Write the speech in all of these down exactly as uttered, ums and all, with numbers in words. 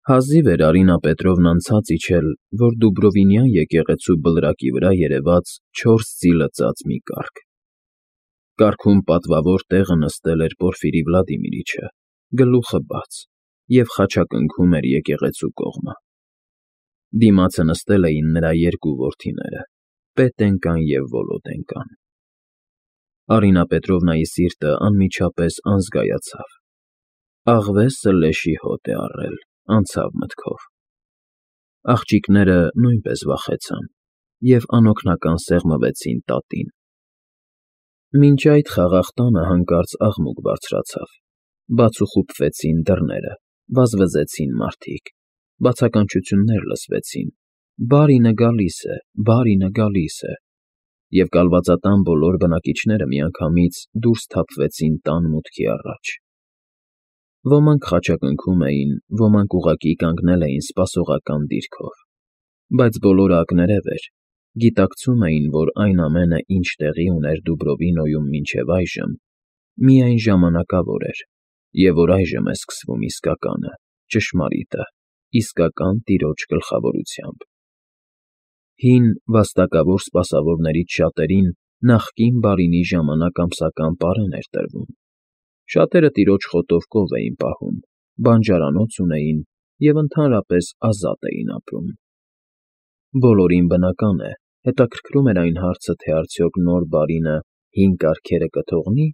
Հազիվ էր Արինա Պետրովնան ցած իջել, որ Դուբրովինյան եկեղեցու բլրակի վրա երևաց չորս ձի լծած մի կառք. կառքում պատվավոր տեղը նստել էր Պորֆիրի Վլադիմիրիչը, գլուխը բաց, և խաչակնքում էր եկեղեցու կողմը. դիմացը նստել էին նրա երկու որդիները՝ Պետենկան և Վոլոդենկան։ Արինա Պետրովնայի սիրտը անմիջապես անզգայացավ. աղվեսը լեշի հոտ է առել, անցավ մտքով։ Աղջիկները նույնպես վախեցան և անօգնական սեղմվեցին տատին։ Մինչ այդ խաղաղ տանը հանկարծ աղմուկ բարձրացավ, բաց ու խուփվեցին դռները, վազվզեցին մարդիկ, բացականչություններ լսվեցին. «Բարինը գալիս է, բարինը գալիս է», և կալվածատան բոլոր բնակիչները միանգամից դուրս սթափվեցին տան մուտքի առաջ։ Ոմանք խաչակնքում էին, ոմանք ուղղակի կանգնել էին սպասողական դիրքով, բայց բոլորը ակներև էր, գիտակցում էին, որ այն ամենը, ինչ տեղի ուներ Դուբրովինոյում մինչև այժմ, միայն ժամանակավոր էր, և որ այժմ է սկսվում իսկականը, ճշմարիտը, իսկական տիրոջ գլխավորությամբ։ Հին, վաստակավոր սպասավորներից շատերին նախկին բարինի ժամանակ ամսական պարեն էր տրվում. շատերը տիրոջ խոտով կով էին պահում, բանջարանոց ունեին և ընդհանրապես ազատ էին ապրում։ Բոլորին, բնական է, հետաքրքրում էր այն հարցը, թե արդյոք նոր բարինը հին կարգերը կթողնի,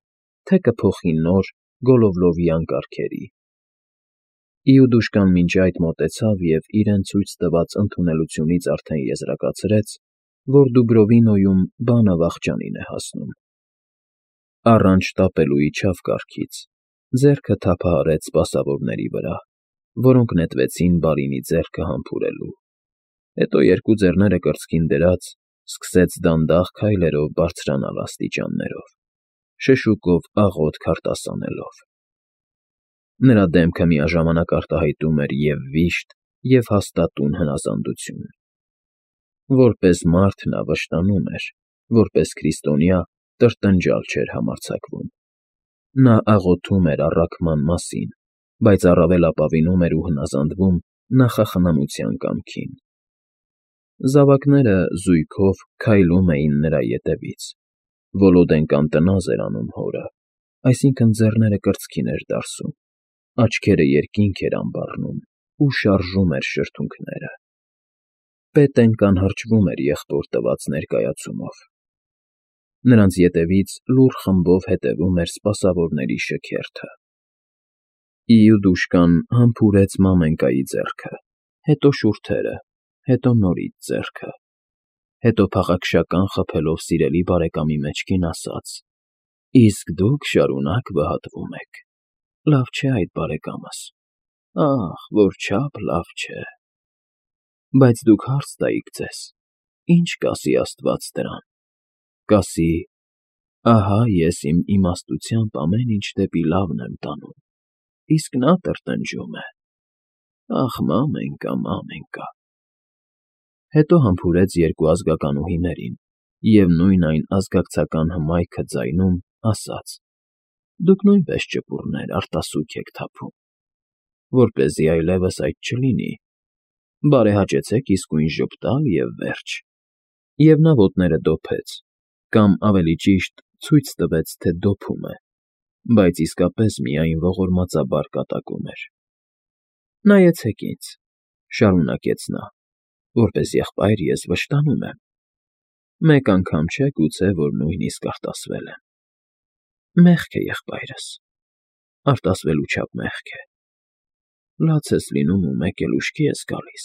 թե կփոխի նոր, գոլովլովյան կարգերի։ Իուդուշկան մինչ այդ մոտեցավ և իրեն ցույց տված ընդունելությունից արդեն եզրակացրեց, որ Դուբրովինոյում բանը վախճանին է հասնում։ Առանց շտապելու իջավ կառքից, ձեռքը թափահարեց սպասավորների վրա, որոնք նետվեցին բարինի ձեռքը համբուրելու, հետո երկու ձեռները կրծքին դրած, սկսեց դանդաղ քայլերով բարձրանալ աստիճաններով, շշուկով աղոթք արտասանելով։ Նրա դեմքը միաժամանակ արտահայտում էր և՛ վիշտ, և՛ հաստատուն հնազանդություն։ Որպես մարդ նա վշտանում էր, որպես քրիստոնյա տրտնջալ չէր համարձակվում։ Նա աղոթում էր առաքման մասին, բայց առավել ապավինում էր ու հնազանդվում նախախնամության կամքին։ Զավակները, զույգով, քայլում էին նրա ետևից. Վոլոդենկան տնազ էր անում հորը, այսինքն՝ ձեռները կրծքին էր դարսում, աչքերը երկինք էր ամբառնում ու շարժում էր շրթունքները։ Պետենկան հրճվում էր եղբոր տված ներկայացումով։ Նրանց ետևից լուռ խմբով հետևում էր սպասավորների շքերթը։ Իուդուշկան համբուրեց մամենկայի ձեռքը, հետո շուրթերը, հետո նորից ձեռքը, հետո փաղաքշական խփելով սիրելի բարեկամի մեջքին ասաց. «Իսկ դուք շարունակ վհատվում եք, լավ չէ այդ, բարեկամս, ախ, որչափ լավ չէ։ Բայց դուք հարց տայիք ձեզ. ի՞նչ կասի աստված դրան։ Կասի. ահա ես իմ իմաստությամբ ամեն ինչ դեպի լավն եմ տանում, իսկ նա տրտնջում է. ախ, մամենկա, մամենկա»։ Հետո համբուրեց երկու ազգականուհիներին և նույն այն ազգակցական հմայքը ձայնում ասաց. «Դուք նույնպես ճպուռներ, արտասուք եք թափում, որպեսզի այլևս այդ չլինի, բարեհաճեցեք իսկույն ժպտալ և վերջ»։ Եվ նա ոտները դոփեց, կամ, ավելի ճիշտ, ցույց տվեց, թե դոփում է, բայց իսկապես միայն ողորմածաբար կատակում էր։ «Նայեցեք ինձ», ֊ շարունակեց նա, ֊ որպես եղբայր ես վշտանում եմ։ Մեկ անգամ չէ, գուցե, որ նույնիսկ արտասվել եմ։ Մեղք է, եղբայրս, արտասվելու չափ մեղք է։ Լաց ես լինում ու մեկ էլ ուշքի ես գալիս,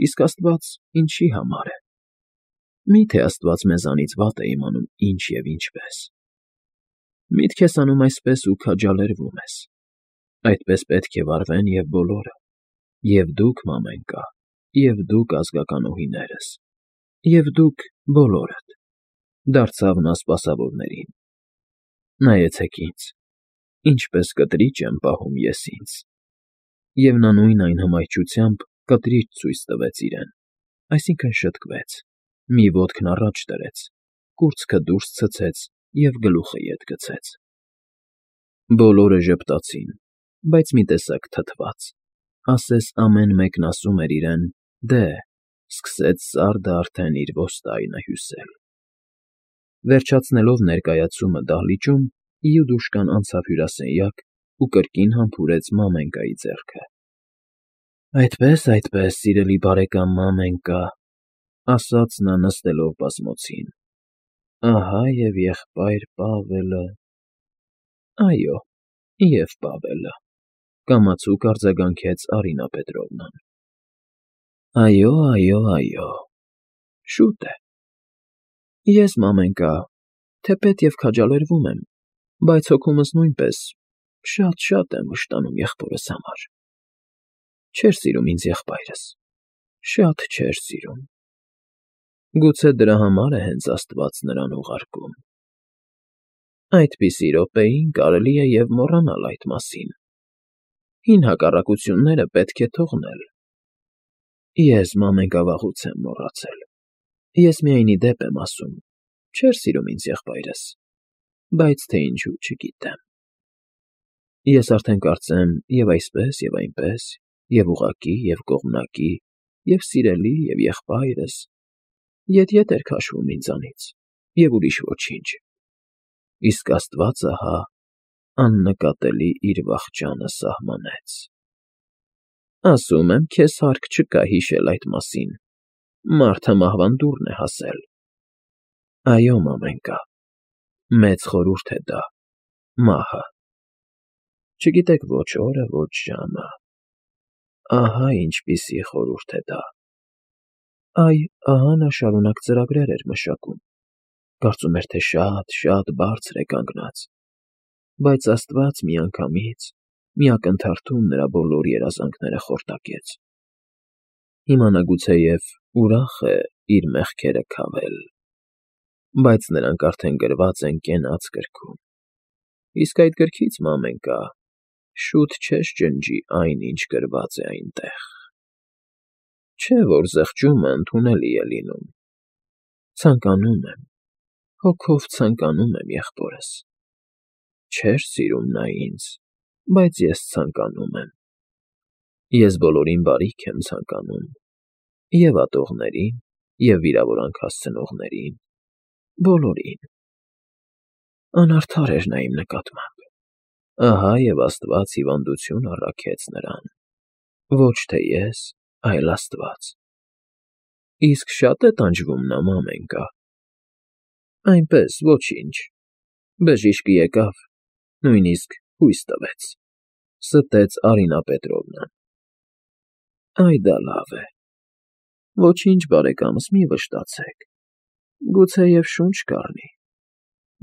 իսկ աստված ինչի համար է։ Մի՞թե աստված մեզանից վատ է իմանում ինչ և ինչպես։ Միտք ես անում այսպես ու քաջալերվում ես։ Այդպես պետք է վարվեն և բոլորը, և՛ դուք, մամենկա, և՛ դուք, ազգականուհիներս, և դուք բոլորդ, ֊ դարձավ նա սպասավորներին։ Նայեցեք ինձ, ինչպես կտրիճ եմ պահում ես ինձ։ Եվ նա նույն այն հմայչությամբ կտրիճ ցույց տվեց իրեն, այսինքն՝ շտկվեց, մի ոտքն առաջ դրեց, կուրծքը դուրս ցցեց և գլուխը ետ գցեց։ Բոլորը ժպտացին, բայց մի տեսակ թթված, ասես ամեն մեկն ասում էր իրեն. «Դե, սկսեց սարդը արդեն իր ոստայնը հյուսել»։ Վերջացնելով ներկայացումը դահլիճում, Իուդուշկան անցավ հյուրասենյակ ու կրկին համբուրեց մամենկայի ձեռքը։ ֊ Այդպե՜ս, այդպե՜ս, սիրելի բարեկամ մամենկա,֊ ասաց նա նստելով բազմոցին,֊ ահա և եղբայր Պավելը… ֊ Այո, և Պավելը,֊ կամացուկ արձագանքեց Արինա Պետրովնան։ ֊ Այո, այո, այո, շուտ է… Ես, մամենկա, թեպետ և քաջալերվում եմ, բայց հոգումս նույնպես շատ֊շատ եմ վշտանում եղբորս համար… Չէր սիրում ինձ եղբայրս, շատ չէր սիրում… Գուցե դրա համար է հենց աստված նրան ուղարկում… Այդպիսի րոպեին կարելի է և մոռանալ այդ մասին… Հին հակառակությունները պետք է թողնել… Ես, մամենկա, վաղուց եմ մոռացել… Ես միայն ի դեպ եմ ասում, չէր սիրում ինձ եղբայրս, բայց թե ինչու՝ չգիտեմ… Ես արդեն կարծեմ և այսպես, և այնպես, և ուղղակի, և կողմնակի, և սիրելի, և եղբայրս… Ետ֊ետ էր քաշվում ինձանից, և ուրիշ ոչինչ… Իսկ աստված ահա աննկատելի իր վախճանը սահմանեց… Ասում եմ, քեզ հարկ չկա հիշել այդ մասին, մարդը մահվան դուռն է հասել… Այո, մամենկա, մեծ խորհուրդ է դա, մահը… Չգիտեք ոչ օրը, ոչ ժամը… Ահա ինչպիսի խորհուրդ է դա… Այ, ահա նա շարունակ ծրագրեր էր մշակում, կարծում էր, թե շատ֊շատ բարձր է կանգնած… Բայց աստված միանգամից, մի ակնթարթում նրա բոլոր երազանքները խորտակեց… Հիմա նա գուցեև ուրախ է իր մեղքերը քավել… Բայց նրանք արդեն գրված են կենաց գրքում… Իսկ այդ գրքից, մամենկա, շուտ չես ջնջի այն, ինչ գրված է այնտեղ… Չէ՞ որ զղջումը ընդունելի է լինում… Ցանկանում եմ, հոգով ցանկանում եմ եղբորս… Չէր սիրում նա ինձ, բայց ես ցանկանում եմ… Ես բոլորին բարիք եմ ցանկանում, և՛ ատողներին, և՛ վիրավորանք հասցնողներին, բոլորին… Անարդար էր նա իմ նկատմամբ… Ահա և աստված հիվանդություն առաքեց նրան… Ոչ թե ես, այլ աստված… Իսկ շա՞տ է տանջվում նա, մամենկա… Այնպես, ոչինչ… Բժիշկը եկավ, նույնիսկ հույս տվեց… ֊ ստեց Արինա Պետրովնան։ ֊ Այ դա լավ է… Ոչինչ, բարեկամս, մի վշտացեք… Գուցեև շունչ կառնի…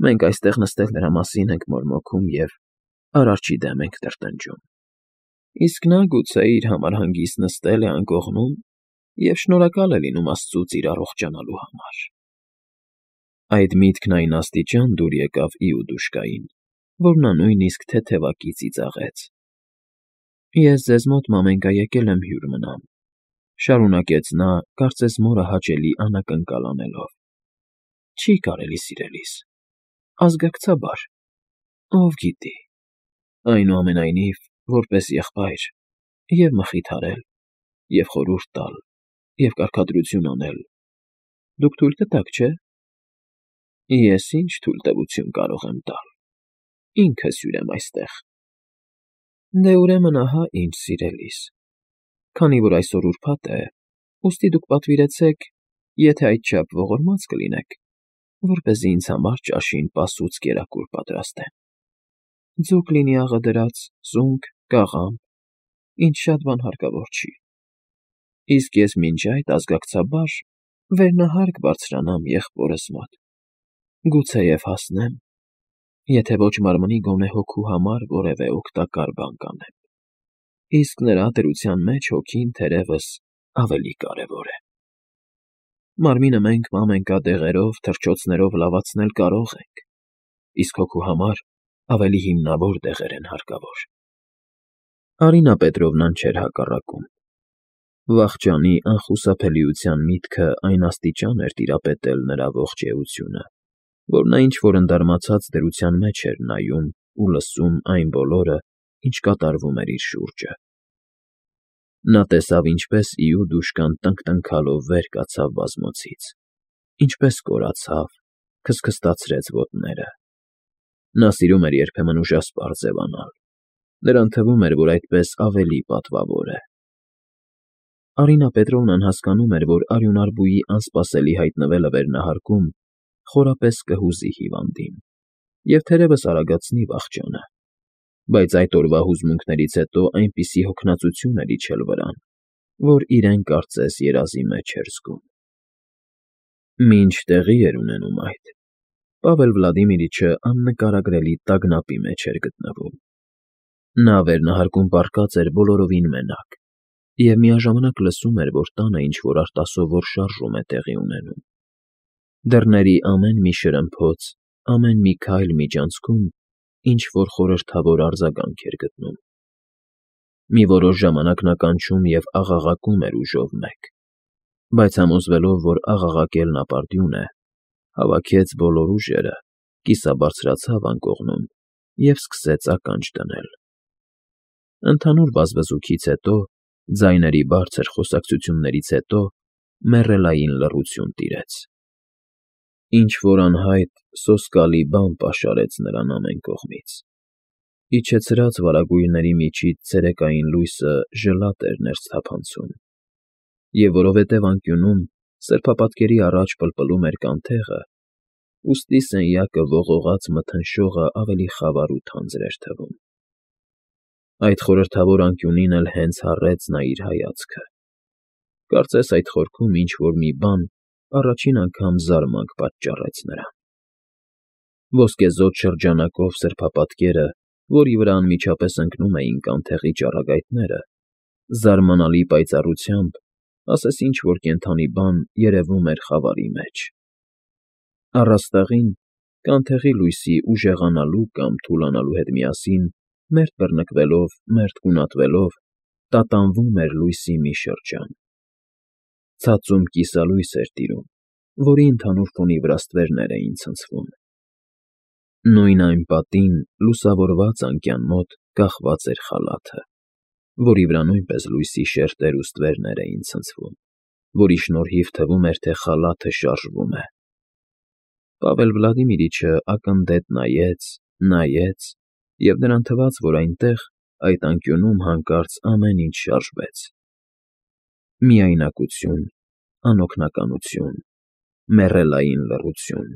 Մենք այստեղ նստել նրա մասին ենք մորմոքում և Արարչի դեմ ենք տրտնջում… Իսկ նա, գուցե, իր համար հանգիստ նստել է անկողնում և շնորհակալ է լինում աստծուց իր առողջանալու համար… Այդ միտքն այն աստիճան դուր եկավ Իուդուշկային, որ նա նույնիսկ թեթևակի ծիծաղեց։ ֊ Ես ձեզ մոտ, մամենկա, եկել եմ հյուր մնամ,֊ շարունակեց նա, կարծես մորը հաճելի անակնկալ անելով,֊ չի կարելի, սիրելիս… ազգակցաբար… Ով գիտի… Այնուամենայնիվ, որպես եղբայր, և՛ մխիթարել, և՛ խորհուրդ տալ, և՛ կարգադրություն անել… Դուք թույլ կտաք, չէ՞։ ֊ Ես ի՞նչ թույլտվություն կարող եմ տալ… Ինքս հյուր եմ այստեղ… ֊ Դե, ուրեմն, ահա ինչ, սիրելիս… Քանի որ այսօր ուրբաթ է, ուստի դուք պատվիրեցեք, եթե այդչափ ողորմած կլինեք, որպեսզի ինձ համար ճաշին պասուծ կերակուր պատրաստեն… Ձուկ լինի աղը դրած, սունկ, կաղամբ, ինչ շատ բան հարկավոր չի… Իսկ ես մինչ այդ ազգակցաբար վերնահարկ բարձրանամ եղբորս մոտ… Գուցեև հասնեմ, եթե ոչ մարմնի, գոնե հոգու համար որևէ օգտակար բան կանեմ… Իսկ նրա դրության մեջ հոգին, թերևս, ավելի կարևոր է… Մարմինը մենք, մամենկա, դեղերով, թռչոցներով լավացնել կարող ենք, իսկ հոգու համար ավելի հիմնավոր դեղեր են հարկավոր… Արինա Պետրովնան չէր հակառակում… Վախճանի անխուսափելիության միտքը այն աստիճան էր տիրապետել նրա ողջ էությունը, որ նա ինչ֊որ ընդարմացած դրության մեջ էր նայում ու լսում այն բոլորը, ինչ կատարվում էր իր շուրջը… Նա տեսավ, ինչպես Իուդուշկան տնկտնքալով վեր կացավ բազմոցից, ինչպես կորացավ, քստքստացրեց ոտները. նա սիրում էր երբեմն ուժասպառ ձևանալ, նրան թվում էր, որ այդպես ավելի պատվավոր է։ Արինա Պետրովնան հասկանում էր, որ արյունարբուի անսպասելի հայտնվելը վերնահարկում խորապես կհուզի հիվանդին և թերևս արագացնի վախճանը, բայց այդ օրվա հուզմունքներից հետո այնպիսի հոգնածություն էր իջել վրան, որ իրեն կարծես երազի մեջ էր զգում։ Մինչ տեղի էր ունենում այդ, Պավել Վլադիմիրիչը աննկարագրելի տագնապի մեջ էր գտնվում։ Նա վերնահարկում պառկած էր բոլորովին մենակ և միաժամանակ լսում էր, որ տանը ինչ֊որ արտասովոր շարժում է տեղի ունենում։ Դռների ամեն մի շրմփոց, ամեն մի քայլ միջանցքում ինչ֊որ խորհրդավոր արձագանք էր գտնում։ Մի որոշ ժամանակ նա կանչում և աղաղակում էր ուժով մեկ, բայց համոզվելով, որ աղաղակելն ապարդյուն է, հավաքեց բոլոր ուժերը, կիսաբարձրացավ անկողնում և սկսեց ականջ դնել։ Ընդհանուր բազբզուքից հետո, ձայների բարձր խոսակցություններից հետո մեռելային լռություն տիրեց։ Ինչ֊որ անհայտ, սոսկալի բան պաշարեց նրան ամեն կողմից։ Իջեցրած վարագույրների միջից ցերեկային լույսը ժլատ էր ներս թափանցում, և որովհետև անկյունում, սրբապատկերի առաջ պլպլում էր կանթեղը, ուստի սենյակը ողողած մթնշողը ավելի խավար ու թանձր էր թվում։ Այդ խորհրդավոր անկյունին էլ հենց հառեց նա իր հայացքը։ Կարծես այդ խորքում ինչ֊որ մի բան առաջին անգամ զարմանք պատճառեց նրան։ Ոսկեզօծ շրջանակով սրբապատկերը, որի վրա անմիջապես ընկնում էին կանթեղի ճառագայթները, զարմանալի պայծառությամբ, ասես ինչ֊որ կենդանի բան երևում էր խավարի մեջ։ Առաստաղին, կանթեղի լույսի ուժեղանալու կամ թուլանալու հետ միասին, մերթ բռնկվելով, մերթ գունատվելով, տատանվում էր լույսի մի շրջան։ Ցածում կիսալույս էր տիրում, որի ընդհանուր ֆոնի վրա ստվերներ էին ցնցվում։ Նույն այն պատին, լուսավորված անկյան մոտ կախված էր խալաթը, որի վրա նույնպես լույսի շերտեր ու ստվերներ էին ցնցվում, որի շնորհիվ թվում էր, թե խալաթը շարժվում է։ Պավել Վլադիմիրիչը ակննդետ նայեց, նայեց, և նրան թվաց, որ այնտեղ, այդ անկյունում հանկարծ ամեն ինչ շարժվեց։ Միայնակություն, անօգնականություն, մեռելային լռություն…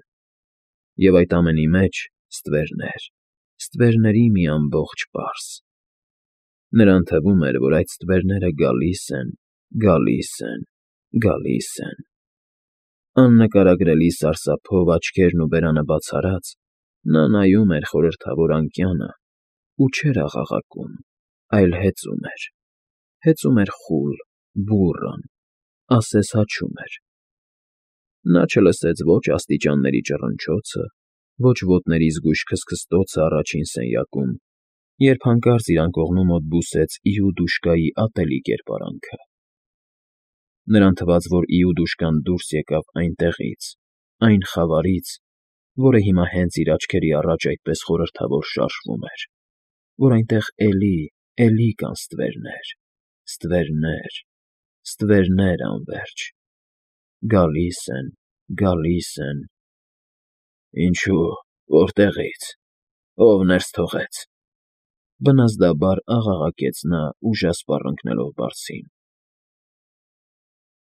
և այդ ամենի մեջ ստվերներ, ստվերների մի ամբողջ պարս… Նրան թվում էր, որ այդ ստվերները գալիս են, գալիս են, գալիս են… Աննկարագրելի սարսափով աչքերն ու բերանը բաց արած՝ նա նայում էր խորհրդավոր անկյանը ու չէր աղաղակում, այլ հեծում էր, հեծում էր խուլ, բուռն, ասես հաչում էր։ Նա չլսեց ոչ աստիճանների ճռնչոցը, ոչ ոտների զգույշ քստքստոցը առաջին սենյակում, երբ հանկարծ իր անկողնու մոտ բուսեց Իուդուշկայի ատելի կերպարանքը։ Նրան թվաց, որ Իուդուշկան դուրս եկավ այնտեղից, այն խավարից, որը հիմա հենց իր աչքերի առաջ այդպես խորհրդավոր շարժվում էր, որ այնտեղ էլի, էլի կան ստվերներ, ստվերներ, ստվերներ անվերջ… Գալիս են, գալիս են… Ինչո՞ւ, որտեղի՞ց, ո՞վ ներս թողեց… Բնազդաբար աղաղակեց նա ուժասպառ ընկնելով բարձին։